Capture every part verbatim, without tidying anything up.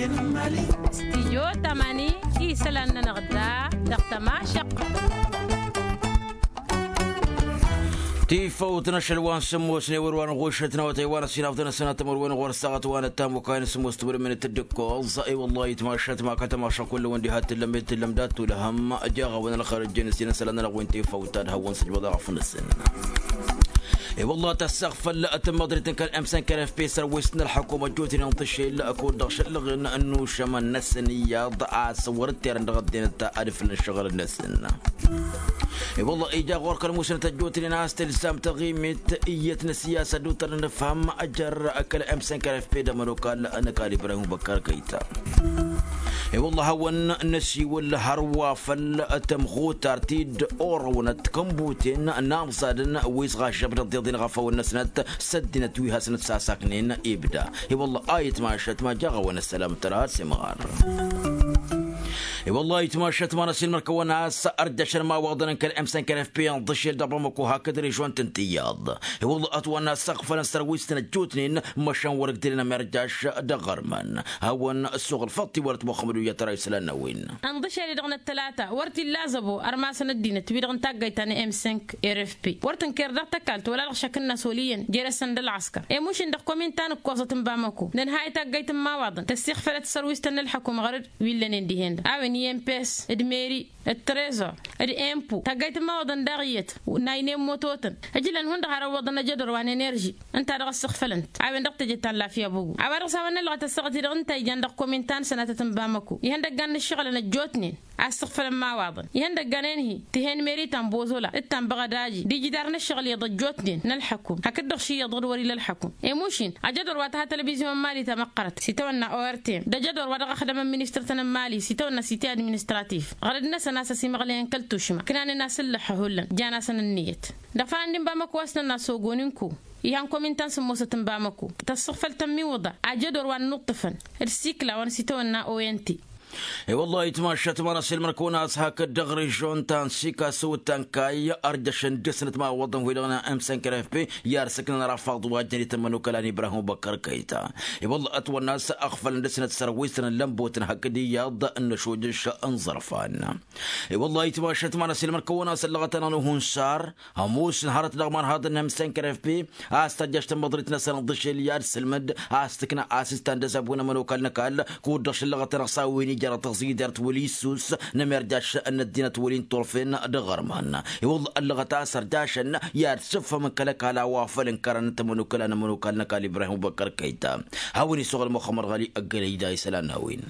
Stijyo tamani isălan-nănăɣ da dăɣ-tămašăq. Tifăwt n-ašăl wa n-sǝmmos n-ewăr wa n-ɣušăt n-awătay wa n-ăsinafḍăn ăsănatăm wăr-wen ɣur-saɣăt wa n-ăttam okayăn sǝmmos tǝmrǝmnet d-ǝkkoẓ. I-wăllah itmašat ma kătămašăk kullăn wăn diha t-tǝllăm i-tǝllăm dat-tulhăm. Jaɣ-awăn ălxer ăjjeen s-inăsălan-nănăɣ wi n-tifăwt ad-hawăn-sǝjbăḍ aɣăf-năsăn. I-wăllah tăssăɣfăl tǝmmăḍrit n-kăl-emsăn kăl-efpes săr-wi s-nălxăkum ăjjootnen n-tǝššel kud-dăɣ šăllăɣen n-ušămăn-năsăn iyyăḍ a-s wăr-ǝtterăn dăɣ-ăddinăt ad-ǝflăn ǝššăɣǝl-năsăn. I-wăllah ija ɣur-kăl-musnăt ăjjootnen a-s tǝlsam taɣimit iyyăt n-ăssiyasăt d-utăr n-inǝfhăm jer-kăl-emsăn kăl-efpe d-ămănokal n-ăkall ibrahim băkkar kăyta. I-wăllah a hawăn-năsiwǝl hărwa făll-tăm ɣutar ti-dd orăwnăt kănbuten n-amẓadăn wi s-ɣašăb d-ăḍḍeḍen ɣăfăwăn-năsnăt s-ăddinăt wi hasnăt sasaknen ibda. I-wăllah a itmašăt ma jaɣ-awăn ăssălam tărha s-imɣar. I-wăllah a itmašăt ma n-ăsilmăr kăwăn-as ărjăšăn imawaḍăn n-kăl-emsăn kăl-efpe n-ḍǝšel dăɣ-bamăko hakd režon tǝntǝyyaḍ. I-wăllah ătwănna s-ăɣfălăn s-tărwisǝtăn ăjjootnen măšan wăr-ǝgdǝlăn ămirjaš dăɣ-ɣărman. Hawăn-ăssoɣăl făḍt-i wăr-ătwăxxămăd wi ătăra isălan n-a-wen. Ănḍǝšel-i-dăɣ n-ăttălata wăr t-illa zăbo ărmasăn ăddinăt wi-dăɣ n-taggayt ta n-emsănk. Rfp wăr tǝnker dăɣ-tăkalt wăla dăɣ-šăk n-inăs wăl' iyyăn jer-ăssăn d-ălɣăskăr. Emušin dăɣ-kominta n-ǝkkoẓăt n-bamăko nǝnhăy taggayt n-imawaḍăn tăssixfălăt s-sărwisătăn n-ălḥăkum ɣăr-dd wi ǝllănen dihen-dăɣ a-wen i-emp s d-meri d-trezor d-empo taggayt n-imawaḍăn daɣ iyyăt. Naynen mototăn ǝjlăn hundăɣ har ăwwăḍăn ajădor wa n-enerži ǝnta dăɣ-ăssixfălăn-t a-wen dăɣ-teje ta n-lafya bogo a-wa dăɣ-s hawăn-nălɣăt ăssaɣăt-i-dăɣ ǝnta ijan dăɣ-kominta n-sănatăt n-bamăko ihăndăggan n-ǝššăɣǝlăn ăjjootnen. A ǝssǝxfălăn imawaḍăn ihăndăggan enhi tihen meri ta n-bozola d-ta n-băɣădaji d-ijidar n-ǝššăɣǝl iyyăḍ ăjjootnen n-ălḥăkum hakd-dăɣ ši iyyăḍ ɣur-wăr ila ălḥăkum. Emušin ajădor wa tăha tălvizyun n-imali tamăqqărăt s-itawănna ortem d-ajădor wa dăɣ-ăxdămăn ministăr-tăn n-imali s-itawănna site administratif ɣărăd-năsăn a-s ăsimăɣlăyăn kăl-tušma ǝknanen a-s ǝllăxxăhullan jan-asăn ǝnniyăt. Dăɣ-ifalan d-inbamăko a-s tănna sogonin-ku ihan kominta n-sǝmmosăt n-bamăko tăssăɣfăl tămmiwǝḍa ajădor wa n-inuṭṭǝfăn d-sikla wa n-sitawănna ont. I-wăllah itmašat ma n-ăsilmăr-kăwăn a-s hakd dăɣ-režon ta n-sika s-uwǝt ta n-kayy ărjăšăn dăr-snăt ma wăḍăn wi-dăɣ n-emsănkăr efpe i-ad-sǝknăn ărafaḍ wa jăn itămmăn okăla n-ibrahim băkkăr kăyta. I-wăllah ătwănna a-s ăɣfălăn dăr-snăt sărwisăn n-lămbotăn hakd iyyăḍ n-ašojăš n-iẓărfan. I-wăllah itmašat ma n-ăsilmăr-kăwăn a-s ăllăɣăt-anăɣ n-uhunsar ămoosăn hărăt dăɣ-imanhaḍăn n-emsănkăr efpe a-s tăjjaš tămmăḍrit-năsăn ǝḍǝšel i-ad-sǝlmǝd a-s tǝkna asistan d-azabun ămănokal n-ăkall kud-dăɣ šăllăɣăt-anăɣ s-a-wen ija dăɣ-tăẓidert wăl' issus n-emerjaš n-ăddinăt wăl' inturfen dăɣ-ărman. I-wălla ăllăɣăt a-s ărjašăn i-ad-sǝffăm n-kăl-ăkall a-wa făl ǝnkărăn tămănokăla n-ămănokal n-ăkall ibrahim băkkăr kăyta. Hawăn-isăɣăl muxămmăd ɣăli ăggălăy da-isălan n-a-wen.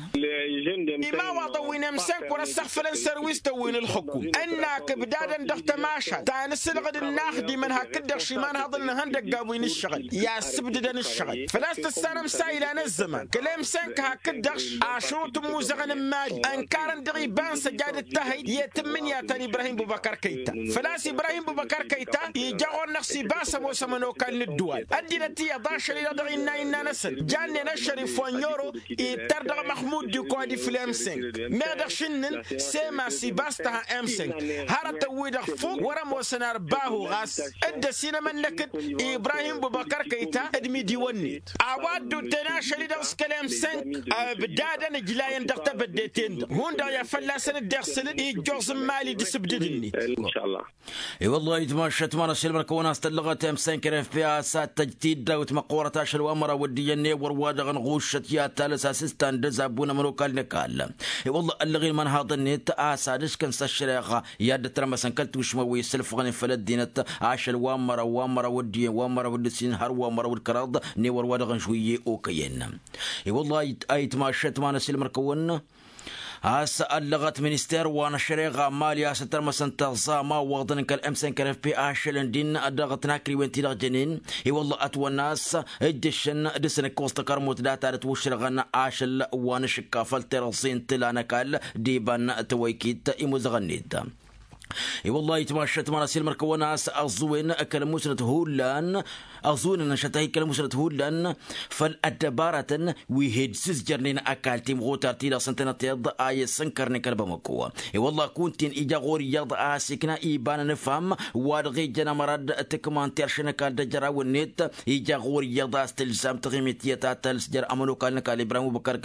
Imawaḍăn wi n-emsănk wăr-ăssăɣfălăn sărwistăn wi n-ǝlxǝkum ǝnnak ǝbdadăn dăɣ-tămašalt ta n-asǝlɣǝd n-inaxdimăn hakd-dăɣ šimanhaḍăn n-ihăndăggan wi n-ǝššăɣǝl i-ad-sǝbdǝdăn ǝššăɣǝl făl-a-s tǝssanăm s-a ilan ăzzăman kăl-emsănk hakd-dăɣ ašrut n-imuzăɣăn n-imali ǝnkarăn dăɣ-iba n-săjadăt tahăyt i-tǝmmǝnǝya ta n-ibrahim bubăkăr kăyta. Făl-a-s ibrahim bubăkăr kăyta ija ɣur-năɣ s-ibas ămoos ămănokal n-ǝddǝwal ăddinăt iyyăḍ ašăl-i-dăɣ dăɣ-innă innă-năsăn jannen ašăl ifwănnyoro ittăr dăɣ-măxmud d-ikwa d-ifla emsănk meɣ dăɣ-šǝnnǝn. Sema s-ibas tăha emsănk hărătăn-wi-dăɣ fuk wăr-ămoosăn ărbahu ɣas dd-ăsinămănnăkăt ibrahim bubăkăr kăyta d-imidiwăn-net a-wa dd-utten ašăl-i-dăɣ s-kăl-emsănk. Ǝbdadăn ǝjlayăn dăɣ-tebădde-ten-dăɣ hundăɣ i-ad-fălla-săn dd-iɣsǝlăn ijjoẓ n-imali d-asǝbdǝd-net. I-wăllah itmašat ma n-ăsilmăr-kăwăn a-s tăllăɣăt emsănk refpi a-s ad-tăj tiddawt măqqoorăt ašăl wa n-măraw d-iyyăn ewăr wa dăɣ-nɣuššăt i-ad-talăs asǝstan d-azabbu n-ămănokal n-ăkall. I-wăllah ăllăɣ-in imănhaḍăn-net a-s ad-ǝskăn s-ăššăreɣa i-ad-dd-ătrămăsăn kăl-tušma wi s-ǝlfăɣnen făll-ăddinăt ašăl wa n-măraw wa n-măraw d-iyyăn wa n-măraw d-ǝssin hărwa n-măraw d-kăraḍ n-ewăr wa dăɣ-nǝžwǝyye okăyăn. I-wăllah a itmašat ma n-ăsilmăr-kăwăn a-s ăllăɣăt minister wa n-ăššăreɣa n-imali a-s ătrămăsăn tăẓẓa ma ǝwwăḍăn kăl-emsănkărăf pe ašălăn din dăɣ-tǝnakriwen ti-dăɣ jănen. I-wălla ătwănna a-s ǝjjǝššăn dăr-s ǝnǝkkoẓ takărmut data d-ătwǝššărɣăn ašăl wa n-ašǝkka făll-tirǝẓẓe n-tǝla n-ăkall d-iba n-tawăykit imuzăɣăn-net. I-wăllah itmašat ma n-asilmăr kăwăn-as ăẓẓuwen kăl-musnăt hullan. Ăẓẓuwen n-ašăt a hi-kăl-musnăt hullan făll-ăddăbaratăn wi hed-sǝzjărnen ăkall timɣutar-ti-dăɣ s-ǝntănăteḍ a i-ăssănkărnen kăl-bamăko. I-wăllah kunta-en ija ɣur-iyyăḍ a ăsikna iba n-anǝfham wa-dăɣ ijăn ămărad tǝkman terše n-ăkall d-ajărawăn-net. Ija ɣur-iyyăḍ a-s tǝlzam taɣimit tiyyăt ad-tăls jer-ămănokal n-ăkall ibrahim ubăkar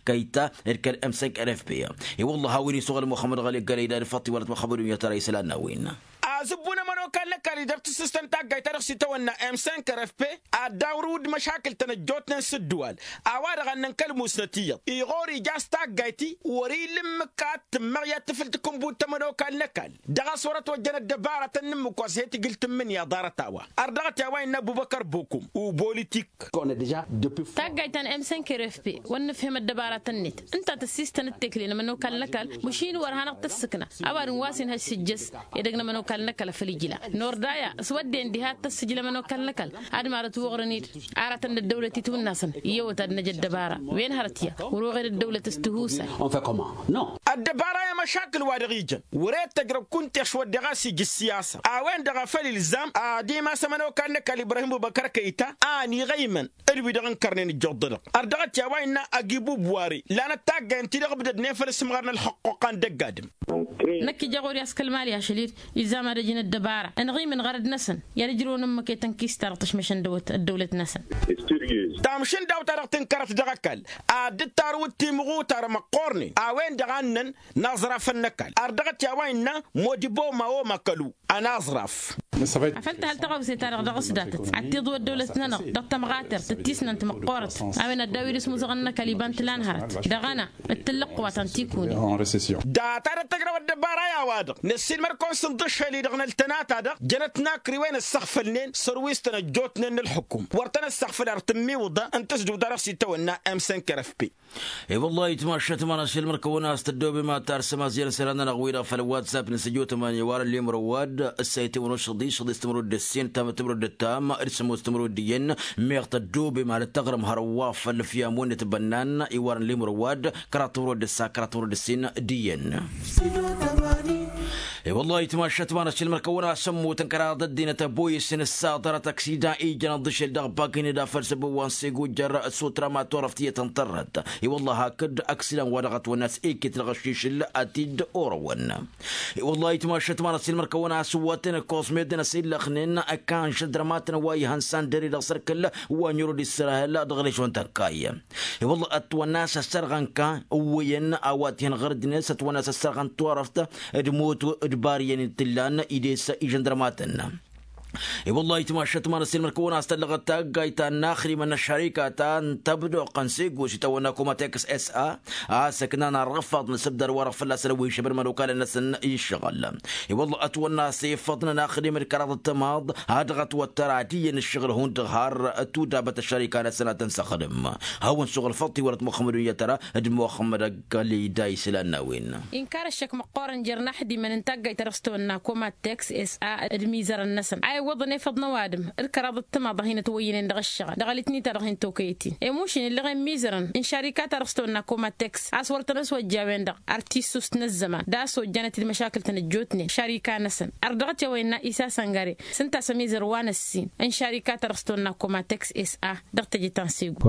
kăyta d-kăl-m cinq rfp. I-wăllah a-wen isuɣǝl muxămmăd ɣăli gălăy d-ad-făṭṭ iwălăt muxămmăd unyăt ara isălan n-a-wen. Azǝbbu n-ămănokal n-ăkall idăr tǝssǝstăn taggayt-ta-dăɣ s-itawănna m cinq rfp ad-dd-awrǝw d-măšakǝl-tăn ăjjootnen s-ǝddǝwal. A-wa-dăɣ a ǝnnăn kăl-musnăt iyyăḍ iɣor ija a-s taggayt-i wăr-ila ǝmmǝk ad-tǝmmăɣ i-ad-tǝfǝl takǝnbut ta ămănokal n-ăkall. Dăɣ-a-s wăr-ătwăjjăn ăddăbarătăn n-ǝmmǝk wa s-he-tǝjǝl tǝmmǝnǝya ḍarăt a-wa. Ărdăɣăt i-a-wa innă ăbubăkăr bokum ubulitik. Taggayt ta n-m cinq rfp wăr nǝfhǝm ăddăbarătăn-net ǝnta tăssistăn d-tekle n-ămănokal n-ăkall. Măšin wăr hanăɣ-tăssǝkna ăwadǝm wa s-inhăj s-ǝjjăs edăgg n-ămănokal n-ăkall făll-ijla. Nordaya s-wădden diha ad-tăssǝjǝl ămănokal n-ăkall ad-mad-ătwăɣrăn-dd aratăn d-ăddăwlăt itwǝnnasăn. Iyyăwăt ad-năj ăddăbara wen hărăt ya wăr-oɣed ăddăwlăt s-tihusay. Ăddăbara i-măšakǝl wa dăɣ-ijăn wăr-e d-tăjrăw kunta ešwăddeɣ a-s ija ǝssiyasa a-wen-dăɣ a făl ilzam ad-imas ămănokal n-ăkall ibrahim ubăkăr kăyta a ăniɣăymăn d-wi-dăɣ ǝnkărnen ǝjjuḍ-dăɣ. Ărdăɣăt i-a-wa innă ăgibub wari lanăt taggay ǝnta-i-dăɣ ǝbdădnen făll-asǝmɣar n-ălxăqquqa n-dăgg-adǝm. Năkk ija ɣur-i a-s kăl-mali ašăl-dd ilzam ad-ăjǝn ăddăbara ănɣimǝn ɣărăd-năsăn i-ad-ǝjrǝwăn ǝmmǝk i-tănkist-ta-dăɣ tăšmăšăn dăwăt ăddăwlăt-năsăn. Tamšǝnda-w ta dăɣ-tǝnkărăt dăɣ-ăkall ad-dd-tarǝwǝd timɣutar măqqoornen a-wen-dăɣ a ǝnnăn n-aẓrafăn n-ăkall ărdăɣăt i-a-wa innă modiboma oma kălu. Ănaẓraf. Afăl tăhăl tăɣawse-ta-dăɣ dăɣ-s datăt ad-t-iḍǝw ăddăwlăt-nănăɣ dăɣ-tămɣatert d-tisnant măqqoorăt. A-wen ăddaw-dd s-imuzăɣăn n-ăkall iba n-tǝla n-hărăt dăɣ-ăna d-tǝllǝqq wa ta n-tikune. Data dăɣ-tăjrăw ăddăbara i-a-wa-dăɣ năssiilmăr-kăwăn s-ǝnḍǝššel-i-dăɣ n-ăltănata-dăɣ jănăt n-akriwen ăssăɣfălnen sărwis-tăn ăjjootnen n-ǝlxǝkum wăr tăn-ăssăɣfăl ar tǝmmiwǝḍa n-tǝsdǝwt-ta-dăɣ s-itawănna m cinq rfp. I-wăllah itmašat ma n-asilmăr-kăwăn a-s tăddoobem ad-tarsăm aẓyăn isălan-nănăɣ-wi-dăɣ făll-whatsapp n-sǝjot ămani iwarăn limrăwad ăssayăt-i-wăn ošăḍi šăḍis timrăwad d-ǝssin tamăt timrăwad d-ǝttam d-sămoos timrăwad d-iyyăn. Meɣ tăddoobem ad-tăɣrǝm hărwa făll-ǝfyam-wen n-itbănnan iwarăn limrăwad kăraḍ timrăwad d-ǝssa kăraḍ timrăwad d-ǝssin d-iyyăn. I-wăllah itmašat ma n-asilmăr-kăwăn a-s ămmutăn kăraḍ ăddinăt ăboyǝs n-ǝssaḍărăt ăksida ijăn ăḍḍǝšel dăɣ-bakined a făl săbăwăn s-egujjăr s-utrama turăft iyyăt n-tărrăt. I-wăllah hakd ăksidan wa dăɣ-ătwănna s-eket dăɣ-ăššišǝl a t-dd-orăwăn. I-wăllah itmašat ma n-asilmăr-kăwăn a-s ǝwwătăn ăkkoẓ meddǝn ăsillăxnen ăkkan žăndrămatăn wa ihăn sandăre dăɣ-sărkǝl wa n-irod israhel dăɣ-režon tănkay. I-wăllah ătwănna a-s ăssărɣăn ka ǝwwăyăn a-wa t-ihăn ɣăr-dd-net ătwănna a-s ăssărɣăn turăft d-moto d-bariyăn-in t-ǝllan ides ižăndrămatăn. I-wăllah itmašat ma n-asilmăr-kăwăn a-s tăllăɣăt taggayt ta n-inaxdimăn n-ăššărika ta n-tăbdoqăn s-egos itawănna komateks s-a a-s ǝknan ărɣǝfaḍ n-asǝbdar wa-dăɣ fălla-săn ăwwihǝšăbăn imănokalăn-năsăn i-ǝššăɣǝl. I-wălla ătwănna a-s efăḍnen inaxdimăn d-kăraḍ d-tămaḍ a dăɣ-ătwăttăr ad-iyyăn ǝššăɣǝl hundăɣ har tudabăt ăššărika-năsăn ad-tăn-săxdǝm. Hawăn-suɣǝl făḍ tiwărăt muxămmăd unyăt tăra d-muxămmăd ăgg-ălida isǝlan n-a-wen. Inkar ăššăk măqqoorăn jer-inaxdimăn n-taggayt ta dăɣ-s tăwănna komateks s-a d-imizărăn-năsăn a iwwăḍăn efăḍ n-ăwadǝm d-kăraḍ d-tămaḍ a hin-ătwăyyǝnen dăɣ-ǝššăɣǝl dăɣ-alǝtni ta dăɣ-hin-tokăyăt-in. I-mušin ǝllăɣen imizărăn n-išarika ta dăɣ-s tăwănna komateks a-s wăr tăn-ăswăjja a-wen-dăɣ ar tissust n-ăzzăman d-a-s ojjanăt-dd măšakǝl-tăn ăjjootnen šarika-năsăn. Ărdăɣăt i-a-wa innă isa săngăre s-ǝnta a-s ămizăr wa n-ăssin n-šarika ta dăɣ-s tăwănna komateks s-a dăɣ-teje ta n-segu.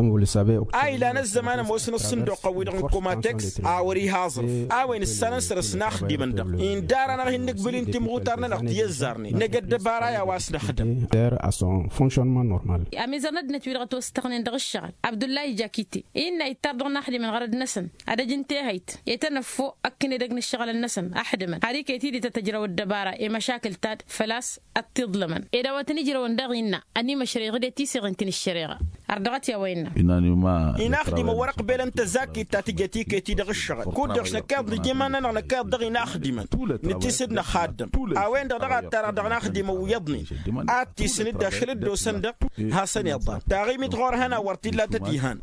A ilan ăzzăman ămoosăn ǝṣṣǝnduqăn-wi-dăɣ n-komateks a wăr-iha aẓrǝf a-wen ǝssanăn săr-s inaxdimăn-dăɣ. Inda ara n-ad-hin-nǝgbǝl-in timɣutar-nănăɣ ti ăzzarnen năj ăddăbara i-a-wa s-năxdǝm. Ămizăr n-ăddinăt-wi-dăɣ ătwăstăɣnen dăɣ-ǝššăɣǝl abdullahi jakite innă ittar dăɣ-inaxdimăn ɣărăd-năsăn ad-ăj n-tehăyt i-tăn-ăffo ăkk n-edăgg n-ǝššăɣǝlăn-năsăn ăxdǝmăn har iket-dd a tăjrăw ăddăbara i-măšakǝl-ta-dd făl-a-s ăttiḍlămăn. Ed a-wa tăn-ijrăwăn daɣ innă ănimăšrăyăɣ-dd i-tiseɣen ti n-ǝššăreɣa. Ărdăɣăt i-a-wa innă inaxdimăn wăr-ăqbelăn tăzakit ta tǝjăt iket-i dăɣ-ǝššăɣǝl kud-dăɣ s-năkk iḍnǝj iman-nănăɣ năkk iḍnǝj dăɣ-inaxdimăn. Nǝttisǝd năxaddăm a-wen-dăɣ dăɣ-ad-tarăɣ dăɣ-inaxdimăn wi iyyăḍnen ad-tisǝn-dd ašăl dd-osăn-dăɣ. Hasăn-iḍan taɣimit ɣur-hăn a wăr t-illa tăt-ihan.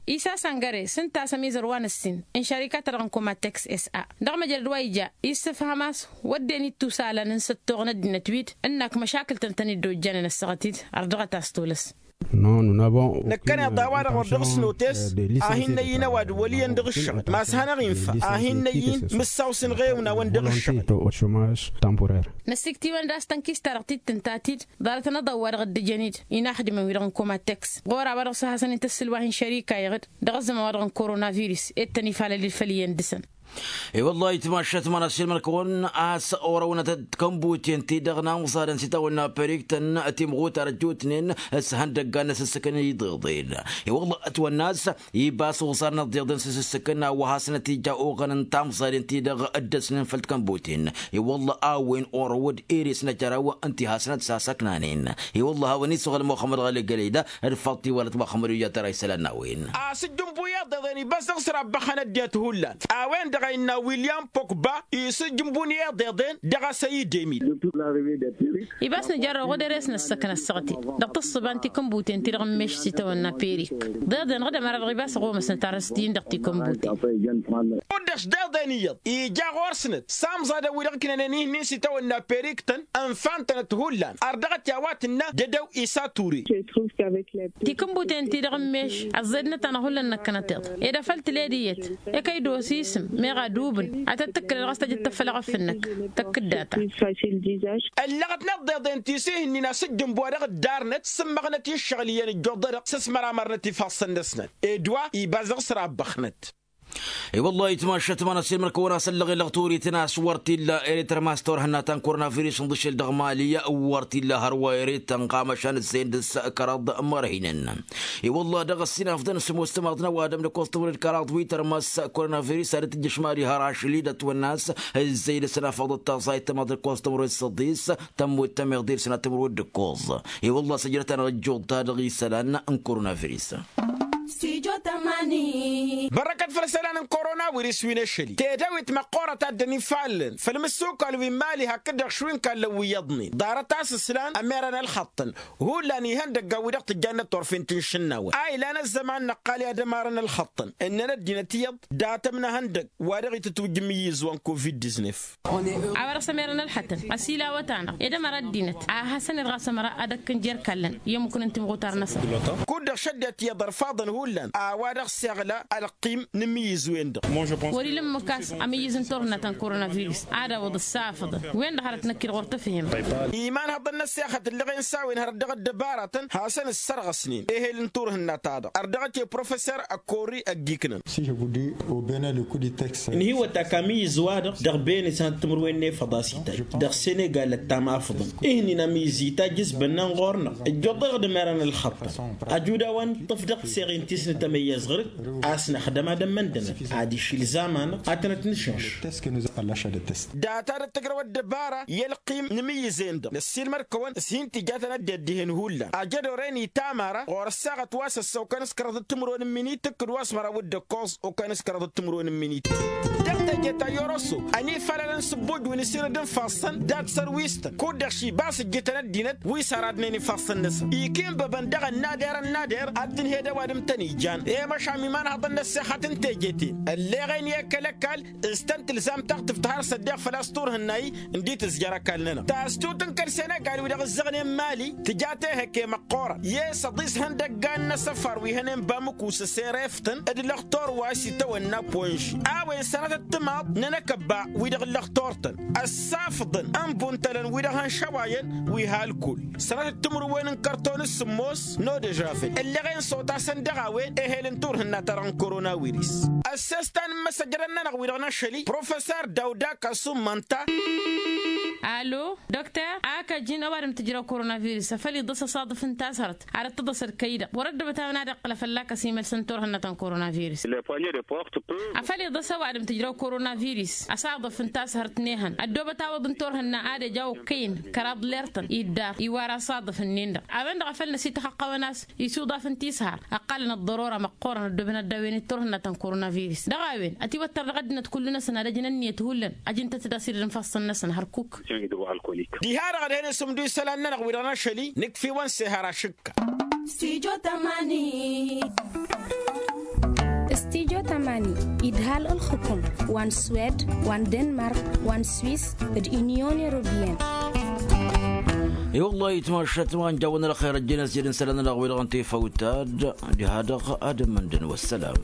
Isa săngăre s-ǝnta a-s ămizăr wa n-ǝssin n-šarika-ta-dăɣ n-komateks s-a dăɣ-măjrăd wa ija issǝfhăm a-s wădden ittusalăn n-săttoɣ n-ăddinăt wi-dd ǝnnak măšakǝl-tăn tăn-dd-ojjănen ăssaɣăt-dd. Ărdăɣăt a-s tolăs. Năkkăneḍ a-wa-dăɣ wăr dăɣ-s notes a hin-năyy n-ăwadǝm wăl' iyyăn dăɣ-ǝššăɣǝl ma s-hanăɣ-infa a hin-năyy n-imǝssaw s-inɣewna-wăn dăɣ-ǝššăɣǝl. Năsiktiwăn d-a-s tănkist-ta-dăɣ tittǝnt ta-t-dd ḍarăt anăḍaw wa dăɣ-dd-ǝjăn-dd inaxdǝmăn-wi-dăɣ n-komatex ɣur-a-wa dăɣ-s hasăn-in-tǝssǝlwa hin-šărika iɣǝd dăɣ-ăzzăman wa dăɣ-n korona virǝs ed tăn-ifalăl-dd făll-iyyăn dăɣ-săn. I-wăllah ayǝtmašat ma n-asilmăn-kăwăn a-s orăwnăt d-tikănbuten-ti-dăɣ n-amẓadăn s-itawănna periktăn timɣutar ăjjootnen s-ihăndăggan n-asǝssǝkăn iḍeḍen. I-wăllah ătwănna a-s ibas uẓar n-iḍeḍen s-asǝssǝkăn a-wa hasnăt-ija oɣăn n-tamẓaden-ti-dăɣ dd-ăsnen făll-tikănbuten. I-wăllah a-wen orăwăd eres n-ajăraw ǝnta i-hasnăt sasăknanen. I-wăllah a-wen isăɣăl muxămmăd ɣăli gălăyda d-faḍt iwalăt muxămmăd ija tăra isălan n-a-wen. Asǝjjǝnbu i-iḍeḍen ibas dăɣ-s-rabbăxăn ăddinăt hullan. A-wen-dăɣ a innă william pokba isǝjjǝnbun i-iḍeḍen dăɣ-asăy idemil. Ibas nǝjărrăw ɣud eres n-ăssăkna ăssaɣăt-i dăɣ-tǝssǝba n-tikǝnbuten-ti-dăɣ n-meš s-itawănna perik. Ḍeḍen ɣǝdăm ara dăɣ-ibas ăɣomăsnăt ar ăsdin dăɣ-tikǝnbuten. Kud-dăɣ s-deḍen iyyăḍ ija ɣur-snăt s-amẓadăn wi-dăɣ ǝknănen ihnin s-itawănna periktăn ǝnfan-tănăt hullan ărdăɣăt i-a-wa tǝnna dăd-ăw isa ture. Tikǝnbuten-ti-dăɣ n-meš ăẓẓednăt-anăɣ hullan năkkănăteḍ ed afăl tǝled iyyăt. Ekăy d-osisǝm meɣ adubǝn ad-tăt-tǝkkǝlăd ɣas tăjăt tăffălăɣăt fǝnnăk tăkkǝddata. Ăllăɣăt n-ăḍḍeḍen ti s-ihǝnnin asǝjjǝnbu a dăɣ-ǝddarnăt s-ǝmmăɣnăt i-ǝššăɣǝl iyyăn ǝjjuḍădăɣ s-ăsmăramărnăt ifassăn-năsnăt ed wa ibas dăɣ-s rabbăxnăt. I-wăllah ayǝtmašat ma n-asǝlmăd-kăwăn a-s ăllăɣ i-lăɣ turiten a-s wăr t-illa ere tărmas turhǝnna ta n-koronavirus n-iḍǝšel dăɣ-mali wăr t-illa hărwa ere tănɣamăšan ǝzzăyăn dăɣ-s kăraḍ mărhinăn. I-wăllah dăɣ-ăssinafḍăn s-ămoos timaḍ n-ăwadǝm d-ǝkkoẓ timǝrwen d-kăraḍ wi tărmas koronavirus ad-dd-tǝjjǝš mali har ašăl-i d-ătwănna a-s ǝzzăy d-ăsnafăḍăt taẓayt timaḍ d-ǝkkoẓ timǝrwen d-săḍis tămmut tămeḍe d-sănat timǝrwen d-ǝkkoẓ. I-wăllah săjdăt-anăɣ ăjjuḍ-ta-dăɣ isălan n-koronavirus. Bărrăkăt făll-isălan n-korona wirǝs wi n-ašăl-i tedăwit măqqoorăt a dd-ănifallăn făll-imǝssukal wi n-imali hakd-dăɣ šwi n-kallăn wi iyyăḍnen ḍarăt a-s ǝslan ămerăn ălxăṭṭăn. Hullan ihăndăggan wi dăɣ-tǝjjannăt turfen ti n-išǝnnawăn a ilan ăzzăman năqqal i-ad-ămarăn ălxăṭṭăn ǝnnăn ăddinăt iyyăḍ dat-ămnăhăndăg wa dăɣ-itǝtwǝjj imǝyyǝz wa n-covid-diznef. A-wa dăɣ-s ămerăn ălxăṭṭăn ăsilawăt-anăɣ ed ămăra ăddinăt a hasăn-ed ɣas ămăra ad-ăkkăn jer-ikallăn i-ămmukăn n-timɣutar-năsăn. Kud-dăɣ šăddinăt iyyăḍ ărfaḍăn hullan a-wa dăɣ-s iɣla ălqim n-imǝyyǝz-wen-dăɣ. Wăr-ila ǝmmǝk a-s amǝyyǝz n-turhǝnna ta n-korona virus ad-awǝḍ ǝssafăḍăn wen-dăɣ hărăt năkk-dd ɣur-tǝfhimăn. Imanhăḍăn n-ăssexăt ǝllăɣen s-a-wen hărăt dăɣ-ăddăbaratăn hasăn-ǝssărɣăsnen ehel n-turhǝnna-ta-dăɣ ărdăɣăt i-professor ăkkorri ăgg-iknăn. Ǝnhǝywăt ak amǝyyǝz-wa-dăɣ dăɣ-bene sănăt timǝrwen n-efăḍ a-s itajj dăɣ-senegal ăttam afǝḍăn. Ihnin amǝyyǝz itajj s-bănnan ɣur-năɣ ǝjjuḍ-dăɣ d-ămerăn ălxăṭṭăn. Ăjuda wa n-iṭṭăf dăɣ-tiseɣen ti s-nǝtămăyyăẓ ɣǝr-dd a-s năxdăm ad-ămmăndămăn ad-iši ǝlzam-anăɣ ad-tănăt-nǝšǝnš. Data d-tǝjrăw ăddăbara i-ălqim n-imǝyyǝzen-dăɣ năssiilmăd-kăwăn s-hin-tija tănăt-dd-ihen hullan ajăd oren itam ara ɣur-ăssaɣăt wa s-ăssa okănăskăraḍ d-timǝrwen n-iminit tǝkkǝd wa s-măraw d-ǝkkoẓ okănăskăraḍ d-timǝrwen n-iminit. Dăɣ-teje ta i-oroso ănifalălăn s-ǝbbuj wi n-asirǝd n-ifassăn dat-sărwistăn kud-dăɣ šibas ǝjjǝtăn ăddinăt wi s-aradnen ifassăn-năsăn ikinbăbăn dăɣ-ănnader ănnader ad-tǝnhed ăwadǝm tăn-ijan i-măšan imanhăḍăn n-ăssexăt n-teje-ten ălleɣen i-ekăl ăkall s-tăn-tǝlzam taɣtǝft har s-ăddeɣ făl-a-s turhǝnna-i. Ǝndi tǝzjăr ăkall-nănăɣ tastut n-kăl-senegal wi dăɣ-ǝzzăɣnen mali tǝja tehăkke măqqoorăn i-săḍis ihăndăggan n-asăfar wi hănen bamǝku s-ăsereftăn d-lăxtor wa s-itawănna ponži a-wen sănatăt timaḍ n-enăkăbba wi-dăɣ n-lăxtor-tăn ăssafḍăn n-buntălăn wi-dăɣ hăn šăwayăn wi halkul sănatăt timǝrwen n-kărton s-sǝmmos n-odežavel ǝlleɣen s-otasăn dăɣ-a-wen ehel n-turhǝnna-ta-dăɣ n-koronawiris. Ăssestan n-imăsăjrăn-nănăɣ wi-dăɣ n-ašăl-i professor dawda kasum mănta. Alo dokter, ak ăjǝn ăwadǝm tǝjrăw koronavirus afăl iḍǝs asaḍǝf n-tashărt ad-ăttăḍăs ălkăy-dăɣ wăr-ăddăbăt a-wen ad-iqqǝl afălla-kăs imălsăn turhǝnna ta n-koronavirus. Afăl iḍǝs ăwadǝm tǝjrăw koronavirus asaḍǝf n-tashărt n-ehăn ăddoobăt awǝḍ n-turhǝnna ad-ăj a okăyăn kăraḍ lertăn iddar iwar asaḍǝf-nin-dăɣ a-wen-dăɣ a făl năsităxăqqăwăn a-s isuḍaf n-tishar ăqqalăn ăḍḍărora măqqoorăn ăddoobăn ad-dd-a-wen d-turhǝnna ta n-koronavirus dăɣ-a-wen ătiwăttăr dăɣ-ăddinăt kullu-năsăn ad-ăjǝn ǝnniyăt hullan ăjǝn-tăt d-asirǝd n-ifassăn-năsăn hărkuk. Diha-dăɣ ad-hen-isǝmdu isălan-nănăɣ wi-dăɣ n-ašăl-i nǝkf'-iwăn s-ehăr ašǝkka. Studio tămani. Studio tămani idhal ǝlxǝkǝm wa n-swed wa n-denmark wa n-swis d-inyon europeyăn. I-wăllah itmašat wa n-jawăn ălxer ăjjeen ăsjădăn isălan-nănăɣ wi-dăɣ n-tifawt ta d-diha-dăɣ ad-ămmăndăn wăssălam.